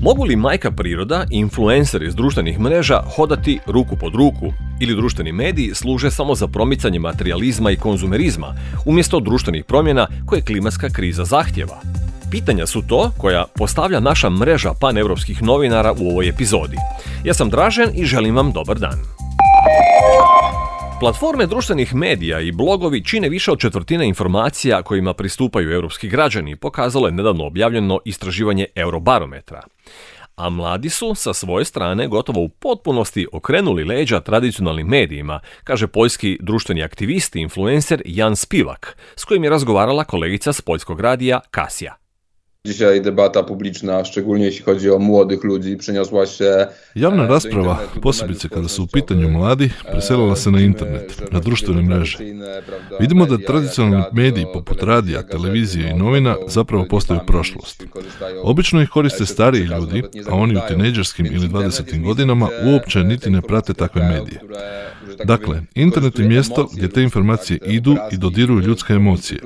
Mogu li majka priroda i influenceri iz društvenih mreža hodati ruku pod ruku ili društveni mediji služe samo za promicanje materijalizma i konzumerizma umjesto društvenih promjena koje klimatska kriza zahtjeva? Pitanja su to koja postavlja naša mreža paneuropskih novinara u ovoj epizodi. Ja sam Dražen i želim vam dobar dan. Platforme društvenih medija i blogovi čine više od četvrtine informacija kojima pristupaju europski građani, pokazalo je nedavno objavljeno istraživanje Eurobarometra. A mladi su sa svoje strane gotovo u potpunosti okrenuli leđa tradicionalnim medijima, kaže poljski društveni aktivist i influencer Jan Spivak, s kojim je razgovarala kolegica s poljskog radija Kasia. Dzisiaj debata publiczna, szczególnie jeśli chodzi o młodych ludzi, przeniosła się... Javna rasprava, posebice kada su u pitanju mladi, preselila se na internet, na društvene mreže. Vidimo da tradicionalni mediji poput radija, televizije i novina zapravo postaju prošlost. Obično ih koriste stariji ljudi, a oni u tinejdžerskim ili 20. godinama uopće niti ne prate takve medije. Dakle, internet je mjesto gdje te informacije idu i dodiruju ljudske emocije.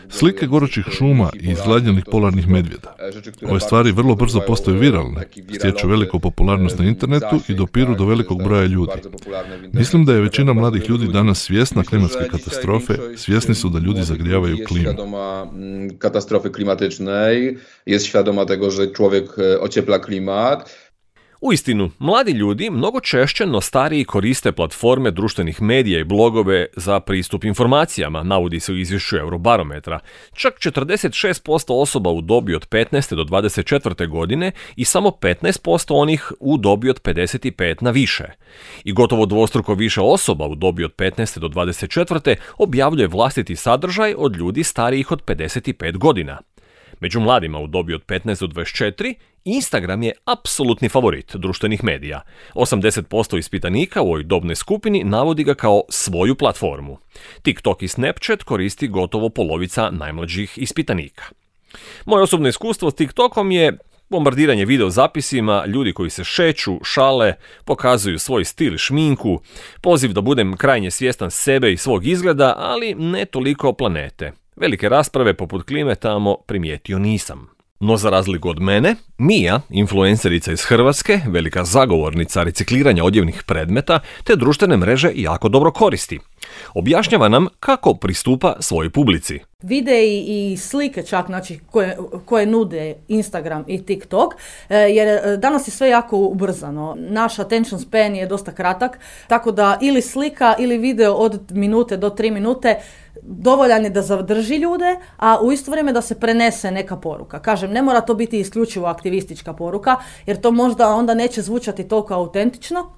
Slike gorućih šuma i izgladnjenih polarnih medvjeda. Ove stvari vrlo brzo postaju viralne, stječu veliku popularnost na internetu i dopiru do velikog broja ljudi. Mislim da je većina mladih ljudi danas svjesna klimatske katastrofe, svjesni su da ljudi zagrijavaju klimu. Katastrofy klimatycznej, jest świadoma tego, że człowiek ociepla klimat. Uistinu, mladi ljudi mnogo češće no stariji koriste platforme društvenih medija i blogove za pristup informacijama, navodi se u izvješću Eurobarometra. Čak 46% osoba u dobi od 15. do 24. godine i samo 15% onih u dobi od 55 na više. I gotovo dvostruko više osoba u dobi od 15. do 24. objavljuje vlastiti sadržaj od ljudi starijih od 55 godina. Među mladima u dobi od 15 do 24, Instagram je apsolutni favorit društvenih medija. 80% ispitanika u ovoj dobnoj skupini navodi ga kao svoju platformu. TikTok i Snapchat koristi gotovo polovica najmlađih ispitanika. Moje osobno iskustvo s TikTokom je bombardiranje video zapisima, ljudi koji se šeću, šale, pokazuju svoj stil i šminku, poziv da budem krajnje svjestan sebe i svog izgleda, ali ne toliko planete. Velike rasprave poput klime tamo primijetio nisam. No za razliku od mene, Mija, influencerica iz Hrvatske, velika zagovornica recikliranja odjevnih predmeta, te društvene mreže jako dobro koristi. Objašnjava nam kako pristupa svojoj publici. Videi i slike čak, znači, koje nude Instagram i TikTok, jer danas je sve jako ubrzano. Naš attention span je dosta kratak, tako da ili slika ili video od minute do 3 minute dovoljan je da zadrži ljude, a u isto vrijeme da se prenese neka poruka. Kažem, ne mora to biti isključivo aktivistička poruka, jer to možda onda neće zvučati toliko autentično,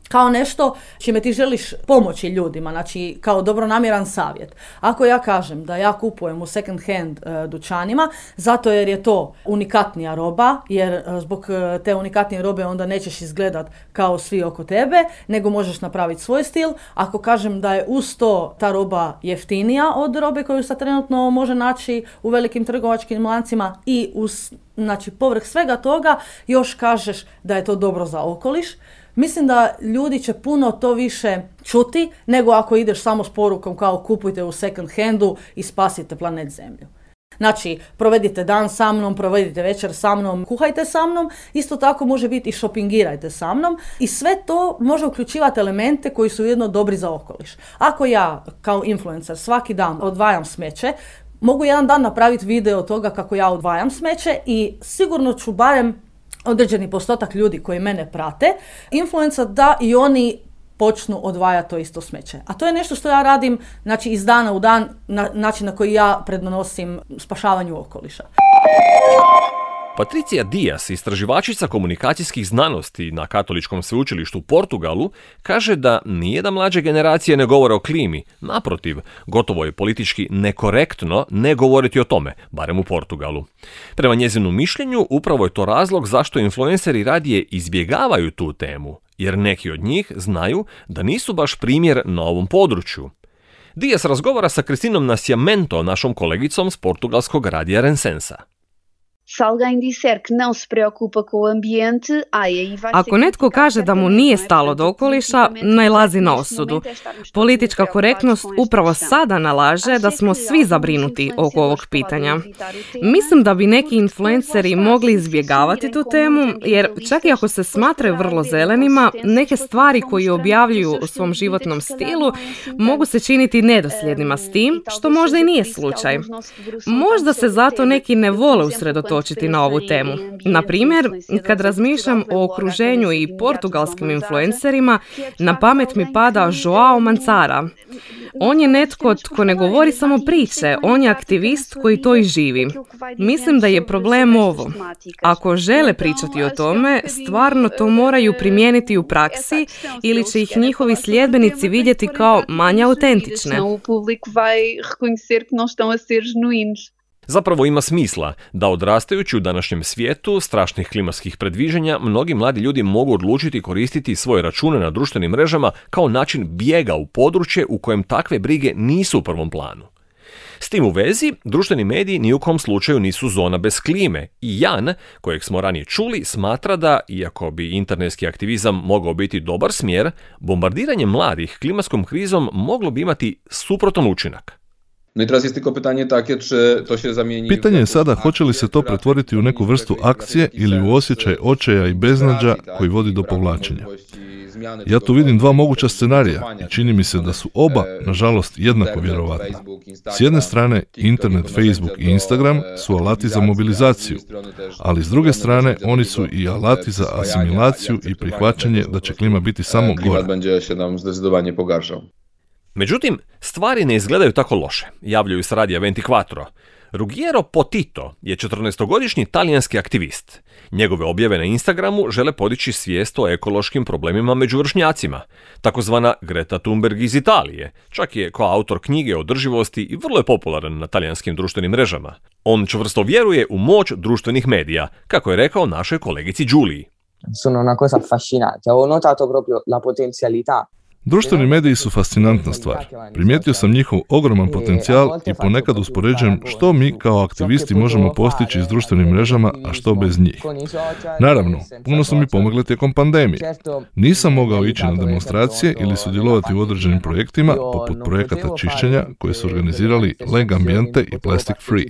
kao nešto čime ti želiš pomoći ljudima, znači kao dobronamjeran savjet. Ako ja kažem da ja kupujem u second hand dućanima, zato jer je to unikatnija roba, jer zbog te unikatnije robe onda nećeš izgledat kao svi oko tebe, nego možeš napraviti svoj stil. Ako kažem da je uz to ta roba jeftinija od robe koju se trenutno može naći u velikim trgovačkim lancima i znači povrh svega toga još kažeš da je to dobro za okoliš, mislim da ljudi će puno to više čuti nego ako ideš samo s porukom kao kupujte u second handu i spasite planet Zemlju. Znači, provedite dan sa mnom, provedite večer sa mnom, kuhajte sa mnom, isto tako može biti i šopingirajte sa mnom i sve to može uključivati elemente koji su ujedno dobri za okoliš. Ako ja kao influencer svaki dan odvajam smeće, mogu jedan dan napraviti video toga kako ja odvajam smeće i sigurno ću barem određeni postotak ljudi koji mene prate, influencer da i oni počnu odvajati to isto smeće. A to je nešto što ja radim, znači, iz dana u dan, način na koji ja prednosim spašavanju okoliša. Patricia Dias, istraživačica komunikacijskih znanosti na Katoličkom sveučilištu u Portugalu, kaže da nijedan mlađe generacije ne govore o klimi. Naprotiv, gotovo je politički nekorektno ne govoriti o tome, barem u Portugalu. Prema njezinu mišljenju, upravo je to razlog zašto influenceri radije izbjegavaju tu temu, jer neki od njih znaju da nisu baš primjer na ovom području. Dias razgovara sa Cristinom Nascimento, našom kolegicom s portugalskog radija Rensensa. Ako netko kaže da mu nije stalo do okoliša, nailazi na osudu. Politička korektnost upravo sada nalaže da smo svi zabrinuti oko ovog pitanja. Mislim da bi neki influenceri mogli izbjegavati tu temu, jer čak i ako se smatraju vrlo zelenima, neke stvari koje objavljuju o svom životnom stilu mogu se činiti nedosljednima s tim, što možda i nije slučaj. Možda se zato neki ne vole usredotočiti na ovu temu. Na primjer, kad razmišljam o okruženju i portugalskim influencerima, na pamet mi pada Joao Manzara. On je netko tko ne govori samo priče, on je aktivist koji to i živi. Mislim da je problem ovo. Ako žele pričati o tome, stvarno to moraju primijeniti u praksi ili će ih njihovi sljedbenici vidjeti kao manje autentične. Zapravo ima smisla da odrastajući u današnjem svijetu strašnih klimatskih predviđanja, mnogi mladi ljudi mogu odlučiti koristiti svoje račune na društvenim mrežama kao način bijega u područje u kojem takve brige nisu u prvom planu. S tim u vezi, društveni mediji ni u kom slučaju nisu zona bez klime i Jan, kojeg smo ranije čuli, smatra da, iako bi internetski aktivizam mogao biti dobar smjer, bombardiranje mladih klimatskom krizom moglo bi imati suprotan učinak. No i teraz jest tylko pytanie takie, czy to się zamieni... Pitanje je sada hoće li se to pretvoriti u neku vrstu akcije ili u osjećaj očaja i beznađa koji vodi do povlačenja. Ja tu vidim dva moguća scenarija i čini mi se da su oba, nažalost, jednako vjerovatna. S jedne strane, internet, Facebook i Instagram su alati za mobilizaciju, ali s druge strane, oni su i alati za asimilaciju i prihvaćanje da će klima biti samo gora. Međutim, stvari ne izgledaju tako loše, javljaju s radija 24. Ruggiero Potito je 14-godišnji talijanski aktivist. Njegove objave na Instagramu žele podići svijest o ekološkim problemima među vršnjacima, takozvana Greta Thunberg iz Italije. Čak je kao autor knjige o održivosti i vrlo je popularan na talijanskim društvenim mrežama. On čvrsto vjeruje u moć društvenih medija, kako je rekao našoj kolegici Giulii. Sono una cosa affascinante. Ho notato proprio la potenzialità. Društveni mediji su fascinantna stvar. Primijetio sam njihov ogroman potencijal i ponekad uspoređujem što mi kao aktivisti možemo postići s društvenim mrežama, a što bez njih. Naravno, puno su mi pomogle tijekom pandemije. Nisam mogao ići na demonstracije ili sudjelovati u određenim projektima, poput projekata čišćenja koje su organizirali Leg Ambiente i Plastic Free.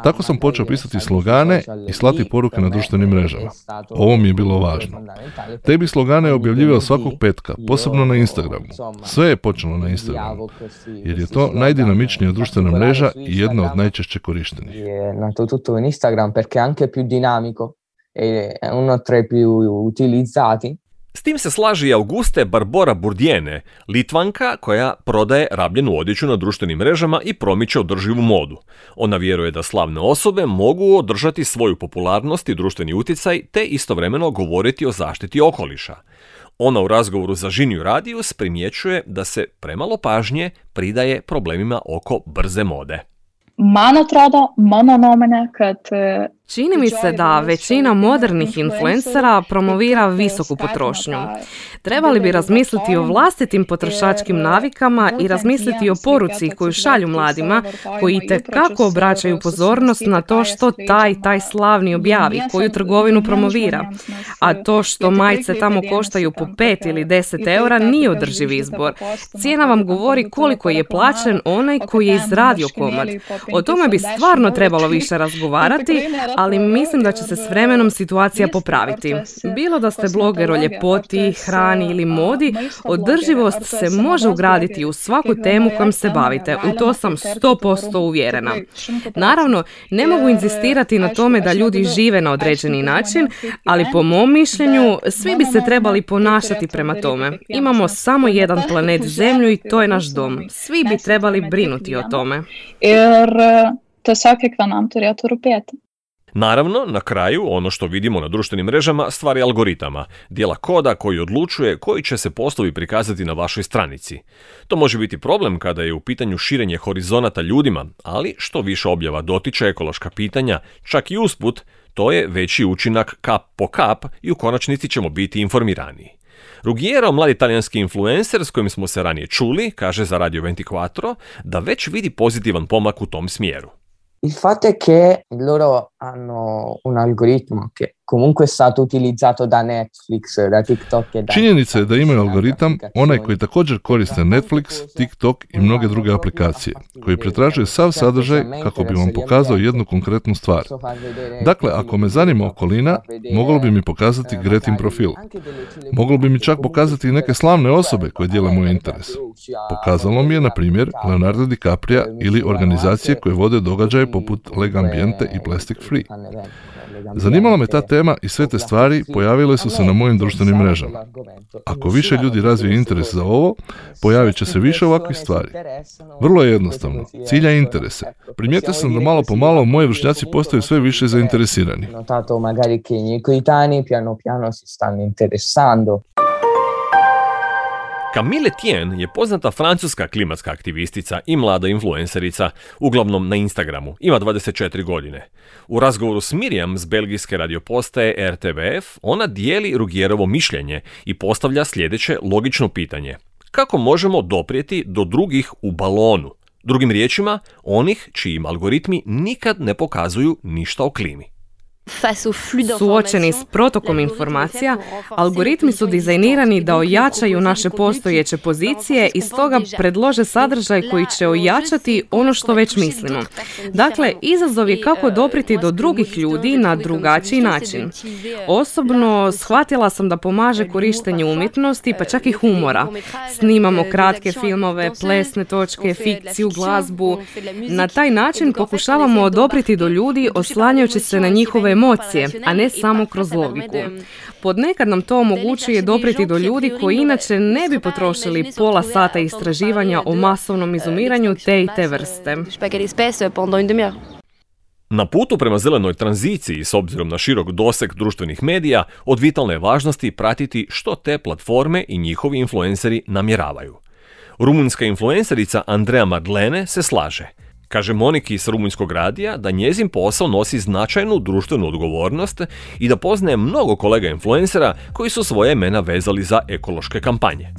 Tako sam počeo pisati slogane i slati poruke na društvenim mrežama. Ovo mi je bilo važno. Te bi slogane objavljivao svakog petka, posebno na Instagramu. Sve je počelo na Instagramu, jer je to najdinamičnija društvena mreža i jedna od najčešće korištenih. Nato tutto in Instagram perché è anche più dinamico e uno tra i più utilizzati. S tim se slaži i Auguste Barbora Burdiene, Litvanka koja prodaje rabljenu odjeću na društvenim mrežama i promiče održivu modu. Ona vjeruje da slavne osobe mogu održati svoju popularnost i društveni utjecaj te istovremeno govoriti o zaštiti okoliša. Ona u razgovoru za Žinju Radius primjećuje da se premalo pažnje pridaje problemima oko brze mode. Man atrodo, mano nuomone, kad Čini mi se da većina modernih influencera promovira visoku potrošnju. Trebali bi razmisliti o vlastitim potrošačkim navikama i razmisliti o poruci koju šalju mladima, koji itekako obraćaju pozornost na to što taj slavni objavi, koju trgovinu promovira. A to što majice tamo koštaju po 5 ili 10 eura nije održiv izbor. Cijena vam govori koliko je plaćen onaj koji je izradio komad. O tome bi stvarno trebalo više razgovarati, ali mislim da će se s vremenom situacija popraviti. Bilo da ste bloger o ljepoti, hrani ili modi, održivost se može ugraditi u svaku temu kojom se bavite. U to sam 100% uvjerena. Naravno, ne mogu inzistirati na tome da ljudi žive na određeni način, ali po mom mišljenju svi bi se trebali ponašati prema tome. Imamo samo jedan planet Zemlju i to je naš dom. Svi bi trebali brinuti o tome. Naravno, na kraju, ono što vidimo na društvenim mrežama stvar je algoritama, dijela koda koji odlučuje koji će se postovi prikazati na vašoj stranici. To može biti problem kada je u pitanju širenje horizonata ljudima, ali što više objava dotiče ekološka pitanja, čak i usput, to je veći učinak kap po kap i u konačnici ćemo biti informiraniji. Ruggiero, mladi talijanski influencer s kojim smo se ranije čuli, kaže za Radio 24 da već vidi pozitivan pomak u tom smjeru. Il fatto è che loro hanno un algoritmo che comunque è stato utilizzato da Netflix, da TikTok e da... Činjenica je da imaju algoritam, onaj koji također koriste Netflix, TikTok i mnoge druge aplikacije, koji pretražuje sav sadržaj kako bi vam pokazao jednu konkretnu stvar. Dakle, ako me zanima okolina, moglo bi mi pokazati Gretin profil. Moglo bi mi čak pokazati i neke slavne osobe koje dijele moj interes. Pokazalo mi je, na primjer, Leonardo DiCaprio ili organizacije koje vode događaje poput Lega Ambiente i Plastic Free. Zanimala me ta tema i sve te stvari pojavile su se na mojim društvenim mrežama. Ako više ljudi razvije interes za ovo, pojavit će se više ovakvih stvari. Vrlo je jednostavno, cilja interese. Primijetio sam da malo po malo moji vršnjaci postaju sve više zainteresirani. Magari che i miei coetanei piano piano si stanno interessando. Camille Tien je poznata francuska klimatska aktivistica i mlada influencerica, uglavnom na Instagramu. Ima 24 godine. U razgovoru s Miriam s belgijske radiopostaje RTBF ona dijeli Ruggiérovo mišljenje i postavlja sljedeće logično pitanje. Kako možemo doprijeti do drugih u balonu? Drugim riječima, onih čijim algoritmi nikad ne pokazuju ništa o klimi. Suočeni s protokom informacija, algoritmi su dizajnirani da ojačaju naše postojeće pozicije i stoga predlože sadržaj koji će ojačati ono što već mislimo. Dakle, izazov je kako doprijeti do drugih ljudi na drugačiji način. Osobno, shvatila sam da pomaže korištenje umjetnosti, pa čak i humora. Snimamo kratke filmove, plesne točke, fikciju, glazbu. Na taj način pokušavamo doprijeti do ljudi oslanjajući se na njihove emocije, a ne samo kroz logiku. Podnekad nam to omogućuje doprijeti do ljudi koji inače ne bi potrošili pola sata istraživanja o masovnom izumiranju te i te vrste. Na putu prema zelenoj tranziciji, s obzirom na širok doseg društvenih medija, od vitalne je važnosti pratiti što te platforme i njihovi influenceri namjeravaju. Rumunjska influencerica Andrea Madlene se slaže. Kaže Moniki s rumunjskog radija da njezin posao nosi značajnu društvenu odgovornost i da poznaje mnogo kolega influencera koji su svoje imena vezali za ekološke kampanje.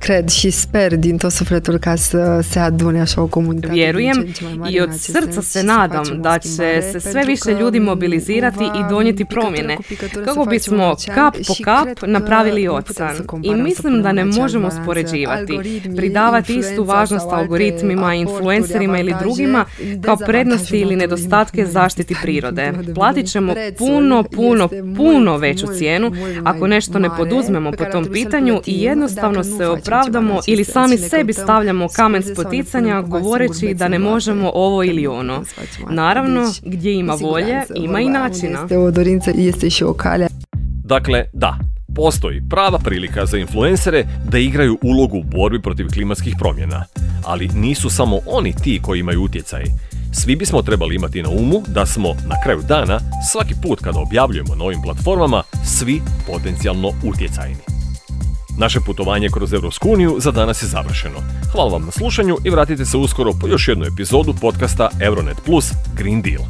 Cred și sper din tot sufletul ca să se adune așa o comunitate. Vjerujem i od srca se nadam da će se sve više ljudi mobilizirati i donijeti promjene, kako bismo kap po kap napravili ocean. I mislim da ne možemo spoređivati, pridavati istu važnost algoritmima, influencerima ili drugima kao prednosti ili nedostatke zaštiti prirode. Platit ćemo puno veću cijenu ako nešto ne poduzmemo po tom pitanju i jednostavno se opravdamo ili sami sebi stavljamo kamen spoticanja govoreći da ne možemo ovo ili ono. Naravno, gdje ima volje, ima i načina. Dakle, da, postoji prava prilika za influencere da igraju ulogu u borbi protiv klimatskih promjena. Ali nisu samo oni ti koji imaju utjecaj. Svi bismo trebali imati na umu da smo na kraju dana, svaki put kada objavljujemo na ovim platformama, svi potencijalno utjecajni. Naše putovanje kroz Europsku uniju za danas je završeno. Hvala vam na slušanju i vratite se uskoro po još jednu epizodu podcasta Euronet Plus Green Deal.